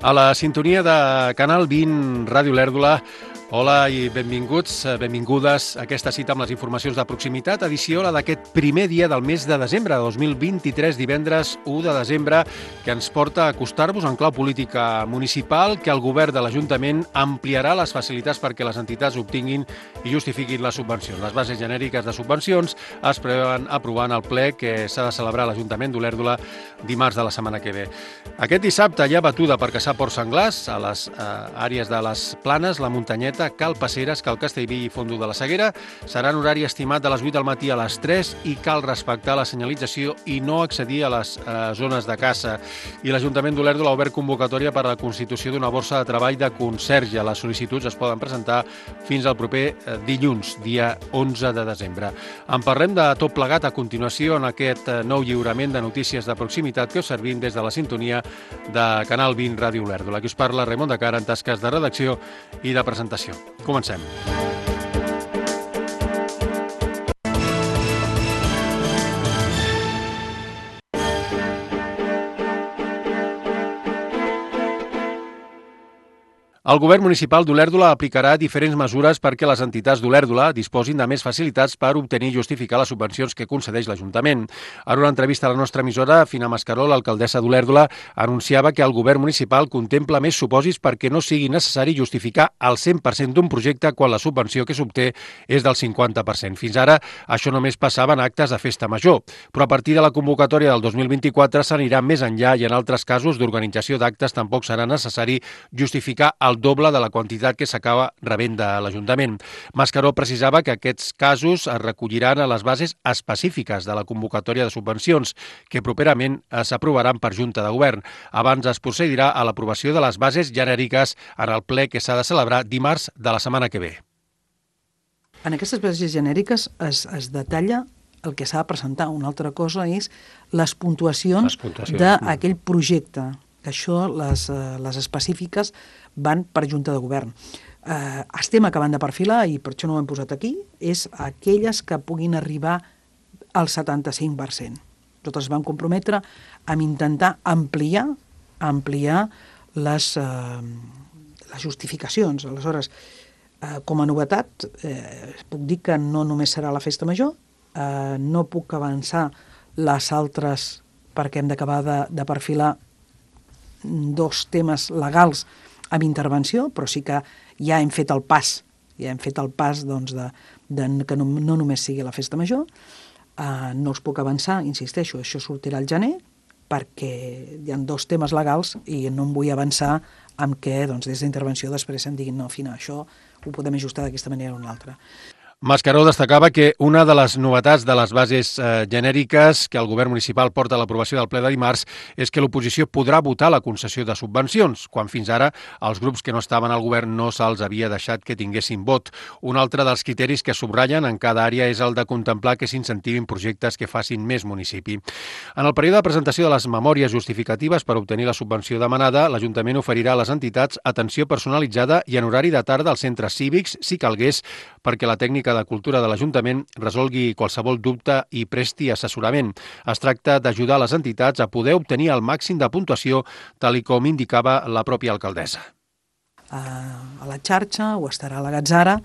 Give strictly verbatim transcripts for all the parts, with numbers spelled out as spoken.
A la sintonia de Canal vint, Ràdio Lèrdula. Hola i benvinguts, benvingudes a aquesta cita amb les informacions de proximitat, edició la d'aquest primer dia del mes de desembre de dos mil vint-i-tres, divendres u de desembre, que ens porta a acostar-vos en clau política municipal, que el govern de l'Ajuntament ampliarà les facilitats perquè les entitats obtinguin i justifiquin les subvencions. Les bases genèriques de subvencions es preveuen aprovar en el ple que s'ha de celebrar a l'Ajuntament d'Olèrdola dimarts de la setmana que ve. Aquest dissabte hi ha batuda per caçar porcs senglars a les eh, àrees de les Planes, la Muntanyeta, Cal Passeres, Cal Castellví i Fondo de la Seguera. Serà en horari estimat de les vuit del matí a les tres i cal respectar la senyalització i no accedir a les eh, zones de caça. I l'Ajuntament d'Olèrdola ha obert convocatòria per a la constitució d'una borsa de treball de conserge. Les sol·licituds es poden presentar fins al proper eh, dilluns, dia onze de desembre. En parlem de tot plegat a continuació en aquest eh, nou lliurament de notícies de proximitat que us servim des de la sintonia de Canal vint, Ràdio Olèrdola. Aquí us parla Raimon de Cara en tasques de redacció i de presentació. Comencem. El govern municipal d'Olèrdola aplicarà diferents mesures perquè les entitats d'Olèrdola disposin de més facilitats per obtenir i justificar les subvencions que concedeix l'Ajuntament. En una entrevista a la nostra emissora, Fina Mascaró, l'alcaldessa d'Olèrdola, anunciava que el govern municipal contempla més supòsits perquè no sigui necessari justificar el cent per cent d'un projecte quan la subvenció que s'obté és del cinquanta per cent. Fins ara, això només passava en actes de festa major, però a partir de la convocatòria del dos mil vint-i-quatre s'anirà més enllà i en altres casos d'organització d'actes tampoc serà necessari justificar el doble de la quantitat que s'acaba rebent de l'Ajuntament. Mascaró precisava que aquests casos es recolliran a les bases específiques de la convocatòria de subvencions, que properament s'aprovaran per Junta de Govern. Abans es procedirà a l'aprovació de les bases genèriques en el ple que s'ha de celebrar dimarts de la setmana que ve. En aquestes bases genèriques es, es detalla el que s'ha de presentar. Una altra cosa és les puntuacions, les puntuacions. d'aquell projecte. Això, les, les específiques, van per Junta de Govern. Eh, estem acabant de perfilar, i per això no ho hem posat aquí, és aquelles que puguin arribar al setanta-cinc per cent. Nosaltres vam comprometre a intentar ampliar, ampliar les, eh, les justificacions. Aleshores, eh, com a novetat, eh, puc dir que no només serà la festa major, eh, no puc avançar les altres perquè hem d'acabar de, de perfilar dos temes legals amb intervenció, però sí que ja hem fet el pas, ja hem fet el pas doncs, de, de que no, no només sigui la festa major. Uh, no us puc avançar, insisteixo, això sortirà al gener, perquè hi ha dos temes legals i no em vull avançar amb què doncs, des d'intervenció després em diguin no, Fina, això ho podem ajustar d'aquesta manera o una altra. Mascaró destacava que una de les novetats de les bases eh, genèriques que el govern municipal porta a l'aprovació del ple de dimarts és que l'oposició podrà votar la concessió de subvencions, quan fins ara els grups que no estaven al govern no se'ls havia deixat que tinguessin vot. Un altre dels criteris que subratllen en cada àrea és el de contemplar que s'incentivin projectes que facin més municipi. En el període de presentació de les memòries justificatives per obtenir la subvenció demanada, l'Ajuntament oferirà a les entitats atenció personalitzada i en horari de tarda als centres cívics, si calgués, perquè la tècnica de Cultura de l'Ajuntament resolgui qualsevol dubte i presti assessorament. Es tracta d'ajudar les entitats a poder obtenir el màxim de puntuació, tal i com indicava la pròpia alcaldessa. A la xarxa o estarà a la Gatzara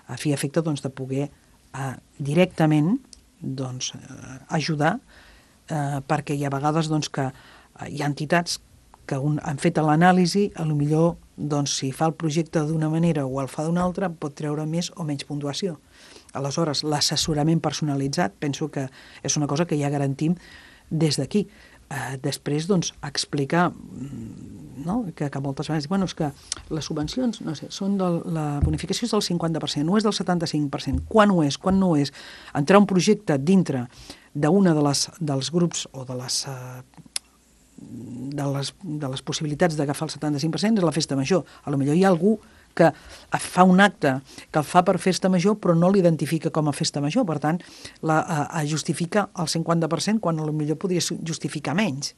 a fi i efecte doncs, de poder uh, directament doncs, uh, ajudar uh, perquè hi ha vegades doncs, que uh, hi ha entitats que un, han fet l'anàlisi, a lo millor doncs, si fa el projecte d'una manera o el fa d'una altra, pot treure més o menys puntuació. Aleshores, l'assessorament personalitzat penso que és una cosa que ja garantim des d'aquí. Eh, després, doncs, explicar no? que, que moltes vegades bueno, és que les subvencions, no sé, són del, la bonificació és del cinquanta per cent, no és del setanta-cinc per cent. Quan ho és, quan no és? Entrar un projecte dintre d'una de les, dels grups o de les... Eh, De les, de les possibilitats d'agafar el setanta-cinc per cent és la festa major. A lo millor hi ha algú que fa un acte que el fa per festa major però no l'identifica com a festa major, per tant la, a, a justifica el cinquanta per cent quan a lo millor podria justificar menys.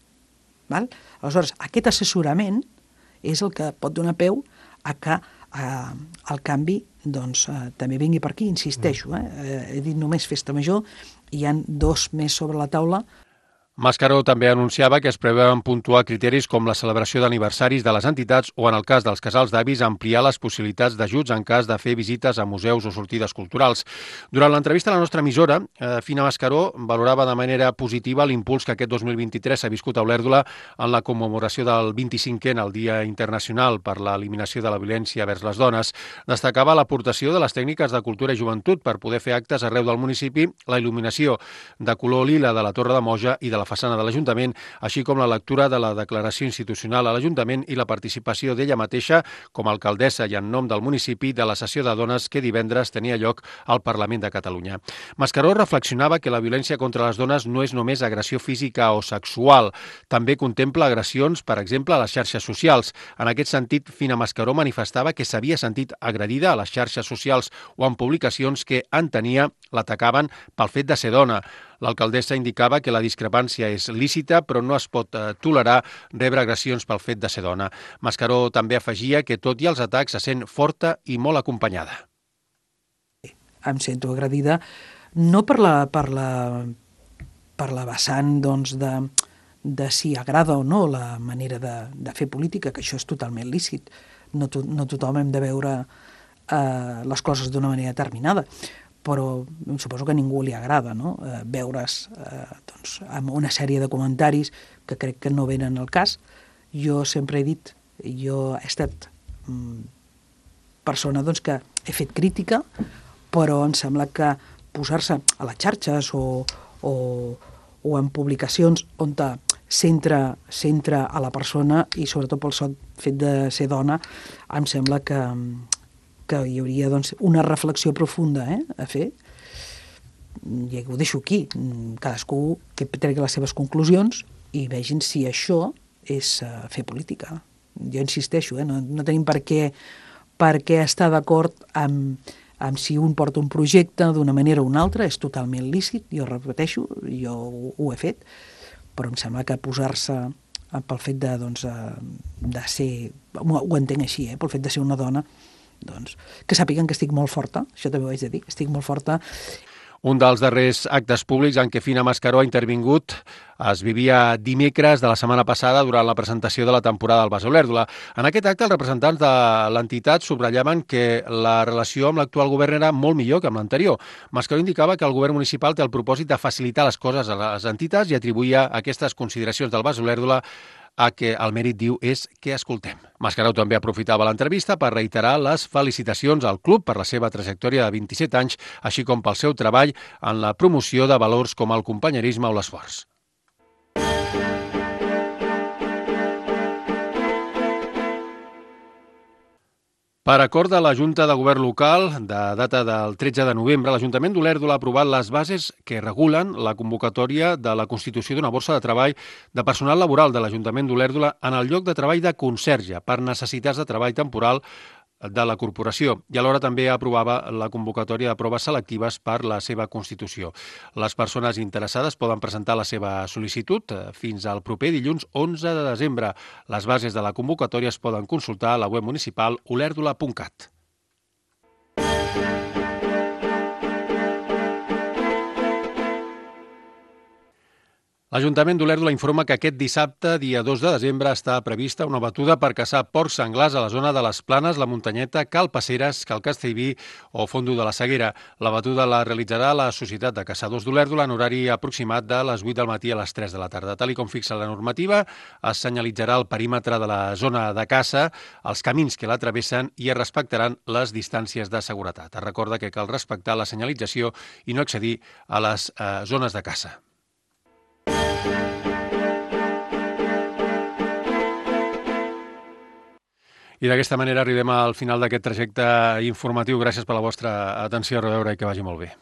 Val? Aleshores, aquest assessorament és el que pot donar peu a que eh, el canvi doncs, eh, també vingui per aquí, insisteixo. Eh? Eh, he dit només festa major, hi ha dos més sobre la taula. Mascaró també anunciava que es preveuen puntuar criteris com la celebració d'aniversaris de les entitats o, en el cas dels casals d'avis, ampliar les possibilitats d'ajuts en cas de fer visites a museus o sortides culturals. Durant l'entrevista a la nostra emissora, eh, Fina Mascaró valorava de manera positiva l'impuls que aquest dos mil vint-i-tres s'ha viscut a Olèrdola en la commemoració del vint-i-cinquè, el Dia Internacional per l'Eliminació de la Violència vers les Dones. Destacava l'aportació de les tècniques de cultura i joventut per poder fer actes arreu del municipi, la il·luminació de color lila de la Torre de Moja i de la façana de l'Ajuntament, així com la lectura de la declaració institucional a l'Ajuntament i la participació d'ella mateixa com a alcaldessa i en nom del municipi de la sessió de dones que divendres tenia lloc al Parlament de Catalunya. Mascaró reflexionava que la violència contra les dones no és només agressió física o sexual, també contempla agressions, per exemple, a les xarxes socials. En aquest sentit, Fina Mascaró manifestava que s'havia sentit agredida a les xarxes socials o en publicacions que entenia l'atacaven pel fet de ser dona. L'alcaldessa indicava que la discrepància és lícita, però no es pot eh, tolerar rebre agressions pel fet de ser dona. Mascaró també afegia que, tot i els atacs, se sent forta i molt acompanyada. Em sento agredida no per la, per la, per la vessant doncs, de, de si agrada o no la manera de, de fer política, que això és totalment lícit. No, to, no tothom hem de veure eh, les coses d'una manera determinada, però suposo que a ningú li agrada, no? eh, veure's eh, doncs, amb una sèrie de comentaris que crec que no venen al cas. Jo sempre he dit, jo he estat mm, persona doncs, que he fet crítica, però em sembla que posar-se a les xarxes o, o, o en publicacions on centra, centra a la persona i sobretot pel sol fet de ser dona, em sembla que que hi hauria doncs, una reflexió profunda eh, a fer. I ho deixo aquí. Cadascú que tregui les seves conclusions i vegin si això és uh, fer política. Jo insisteixo, eh, no, no tenim per què, per què estar d'acord amb, amb si un porta un projecte d'una manera o una altra, és totalment lícit, jo repeteixo, jo ho, ho he fet, però em sembla que posar-se pel fet de, doncs, de ser, ho entenc així, eh, pel fet de ser una dona, doncs, que sàpiguen que estic molt forta, això també ho haig de dir, estic molt forta. Un dels darrers actes públics en què Fina Mascaró ha intervingut es vivia dimecres de la setmana passada durant la presentació de la temporada del Bas Olèrdola. En aquest acte, els representants de l'entitat subratllaven que la relació amb l'actual govern era molt millor que amb l'anterior. Mascaró indicava que el govern municipal té el propòsit de facilitar les coses a les entitats i atribuïa aquestes consideracions del Bas Olèrdola a que el mèrit, diu, és que escoltem. Mascaró també aprofitava l'entrevista per reiterar les felicitacions al club per la seva trajectòria de vint-i-set anys, així com pel seu treball en la promoció de valors com el companyerisme o l'esforç. Per acord de la Junta de Govern Local, de data del tretze de novembre, l'Ajuntament d'Olèrdola ha aprovat les bases que regulen la convocatòria de la constitució d'una borsa de treball de personal laboral de l'Ajuntament d'Olèrdola en el lloc de treball de conserge per necessitats de treball temporal de la corporació i alhora també aprovava la convocatòria de proves selectives per la seva constitució. Les persones interessades poden presentar la seva sol·licitud fins al proper dilluns onze de desembre. Les bases de la convocatòria es poden consultar a la web municipal olèrdola punt cat. L'Ajuntament d'Olèrdola informa que aquest dissabte, dia dos de desembre, està prevista una batuda per caçar porcs senglars a la zona de les Planes, la Muntanyeta, Cal Passeres, Cal Castellví o Fondo de la Seguera. La batuda la realitzarà la Societat de Caçadors d'Olèrdola en horari aproximat de les vuit del matí a les tres de la tarda. Tal com fixa la normativa, es senyalitzarà el perímetre de la zona de caça, els camins que la travessen i es respectaran les distàncies de seguretat. Es recorda que cal respectar la senyalització i no accedir a les eh, zones de caça. I d'aquesta manera arribem al final d'aquest trajecte informatiu. Gràcies per la vostra atenció, a reveure i que vagi molt bé.